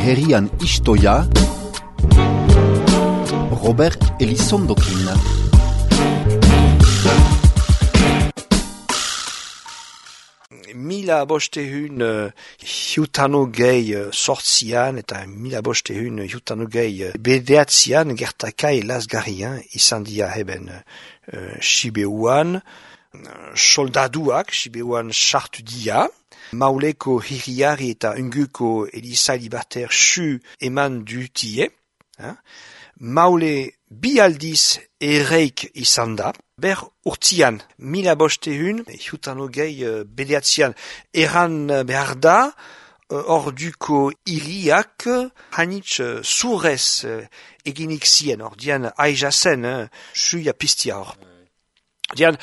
Herrian istoia Robert Elizondokin. Mila bostehun hiutanogei sortzian eta mila bostehun hiutanogei bederatzian gertakai lazgarrian izan dira heben Sibeuan. Soldaduak Sibeuan sartu dira. Mauleko hiriari eta unguko Eliza Libertaire su eman dutie. Maule bi aldiz ereik izan da. Ber urtian, mila bostehun, hiutanogei bederatzian, eran behar da, orduko hiriak hanitz zurez eginik zien, ordian aizazen, suia pistia hor. Ordian,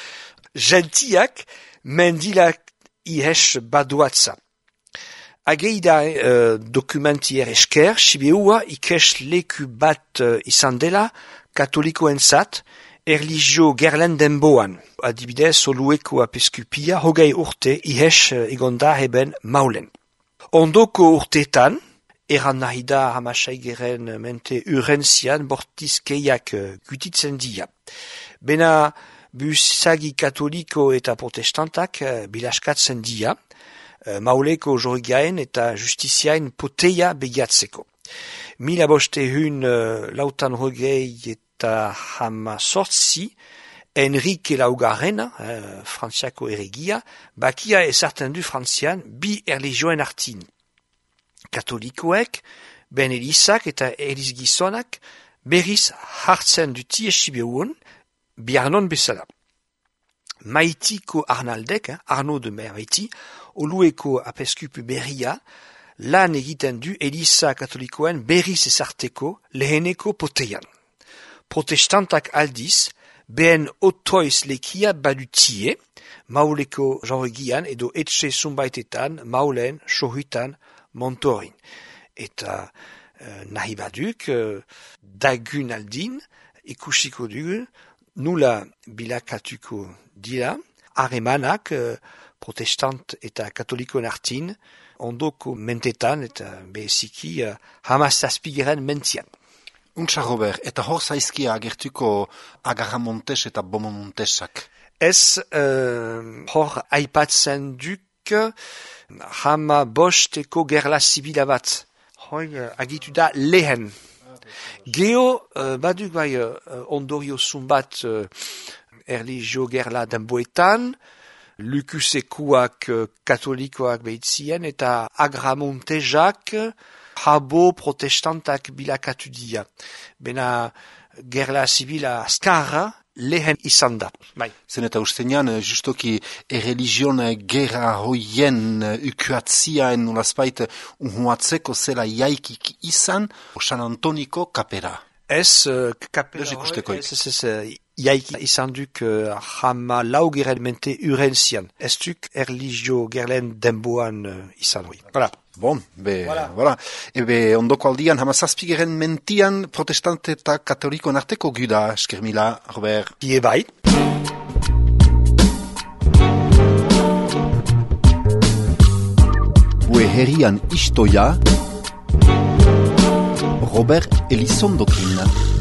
gentiak mendilak ihes baduatza. Ageida dokumentier esker, Sibeua ikes leku bat izan dela, katolikoentzat, erlijio gerlen denboan. Adibidez, Olueko apeskupia hogei urte ihes egonda heben maulen. Ondoko urtetan, eran nahi da hamasaigeren mente urentzian bortizkeiak gutitzen dia. Bena busagi katoliko eta protestantak bilaskatzen dia, mauleko jorgaen eta justiziaen poteia begiatzeko. Mila bostehun lautan hogei eta hama sortzi, Enrique Laugarrena, frantziako erregia, bakia ezartzen du frantzian bi erlijioen artin. Katolikoek, ben Elizak eta Eliz gizonak, berriz hartzen dutie Sibeuan, biarnon bezala. Maitiko Arnaldek, Arnaud de Maiti, Olueko apeskupu berria, lan egiten du Eliza katolikoen berriz ezarteko leheneko poteian. Protestantak aldiz, behen otoiz lekia badutie, mauleko jorgian edo etxe zunbaitetan, maulen, sohutan, montorin. Eta nahi baduk, dagun aldin, ikusiko dugu, nula bilakatuko dira, harremanak protestant eta katolikoen artin, ondoko mentetan eta beziki hamazazpigeren mentian. Untsa, Robert, eta hor zaizkia agertuko Agarramontes eta Beaumont-Montesak? Ez hor aipatzen duk hama bosteko gerla zibila bat. Hoi agitu da lehen. Geo baduk bai ondorio zumbat erlijio gerla denboetan, lukusekuak katolikoak behitzien eta Agramontesak habo protestantak bilakatu dia. Bena gerla zibila azkarra lehen izan da. Bai. Zen eta ustenean, justoki erreligion gerra hoien ukuatziaen nolazpait unhuatzeko zela jaikik izan, San Antoniko kapera. Ez kapera ez jaiki izan duk hama laugeren mente urentzian. Ez duk erlijio gerlen denboan izan hori. Voilà. Bon, voilà. Ebe ondoko aldian hamazazpigeren mentian protestante eta katolikoen arteko guda, eskermila, Robert. Ie bai. Ue herrian istoia Robert Elizondokin.